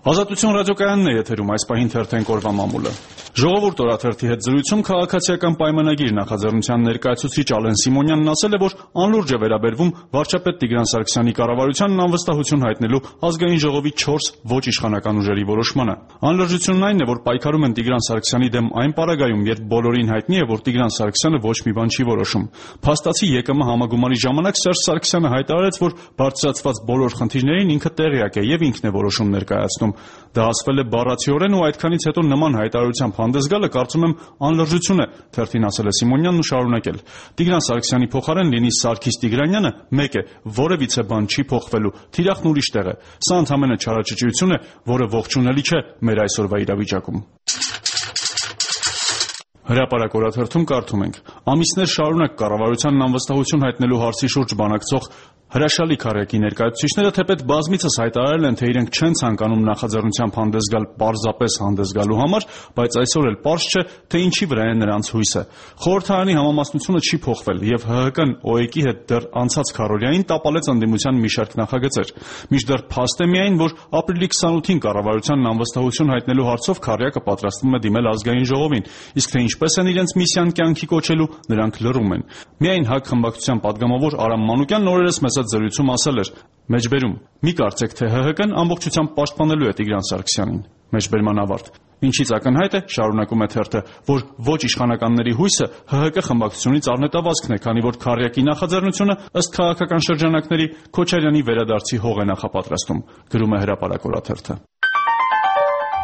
Ազատություն ռադիոկայանն է եթերում, այս պահին թերթենք օրվա մամուլը։ Ժողովուրդ օրաթերթի հետ զրույցում քաղաքացիական պայմանագիր նախաձեռնության ներկայացուցիչ Ալեն Սիմոնյանն ասել է, որ անլուրջ է վերաբերվում վարչապետ Տիգրան Սարգսյանի կառավարությանն անվստահություն հայտնելու ազգային ժողովի 4 ոչ իշխանական ուժերի որոշմանը։ Անլրջությունն այն է, որ պայքարում են Տիգրան Սարգսյանի դեմ այն պարագայում, երբ բոլորին հայտնի է, որ Տիգրան Սարգսյանը ոչ մի բան չի որոշում։ Փաստացի ԵԿՄ համագումարի ժամանակ Սերժ Սարգսյանը հայտարարեց, որ բարձրացված բոլոր խնդիրներին ինքը տեղյակ է եւ ինքն է որոշում ներկայացնում։ Դա ասվել է բառացիորեն ու այդքանից հետո նման հայտարարությամբ հանդես գալը կարծում եմ անլրջություն է, թերթին ասել է Սիմոնյանն ու շարունակել. Տիգրան Սարգսյանի փոխարեն լինի Սարգիս Տիգրանյանը, մեկ է, որևիցե բան չի փոխվելու, թիրախն ուրիշ տեղ է։ Սա ընդհանրապես չարաճճիություն է, որը ողջունելի չէ մեր այսօրվա իրավիճակում։ Հրապարակ օրաթերթում կարդում ենք. ամիսներ շարունակ կառավարությանն անվստահություն հայտնելու հարցի շուրջ բանակցող հրաշալի քառյակի ներկայացուցիչները թեպետ բազմիցս հայտարարել են, թե իրենք չեն ցանկանում նախաձեռնությամբ հանդես գալ պարզապես հանդես գալու համար, բայց այսօր էլ պարզ չէ, թե ինչի վրա է նրանց հույսը։ Խորհրդարանի համամասնությունը չի փոխվել եւ ՀՀԿ-ն ՕԵԿ-ի հետ դեռ անցած քառօրյային տապալեց ընդդիմության մի շարք նախագծեր։ Մինչդեռ փաստ է միայն, որ ապրիլի 28-ին կառավարությանն անվստահություն հայտնելու հարցով քառյակը պատրաստվում է դիմել ազգային ժողովին, իսկ թե ինչպես են իրենց միսիան կյանքի կոչելու, նրանք լռում են։ Միայն ՀԱԿ խմբակցության падգամավոր Արամ Մանուկյանն օրերս մեծ զրույցում ասել էր. մեջբերում, մի կարծեք, թե ՀՀԿ-ն ամբողջությամբ պաշտպանելու է Տիգրան Սարգսյանին։ Մեջբերման ավարտ։ Ինչից ակնհայտ է, շարունակում է թերթը, որ ոչ իշխանականների հույսը ՀՀԿ խմբակցությունից առնետավազքն է, քանի որ քառյակի նախաձեռնությունը ըստ քաղաքական շրջանակների Քոչարյանի վերադարձի հող է նախապատրաստում, գրում է Հրապարակ օրաթերթը։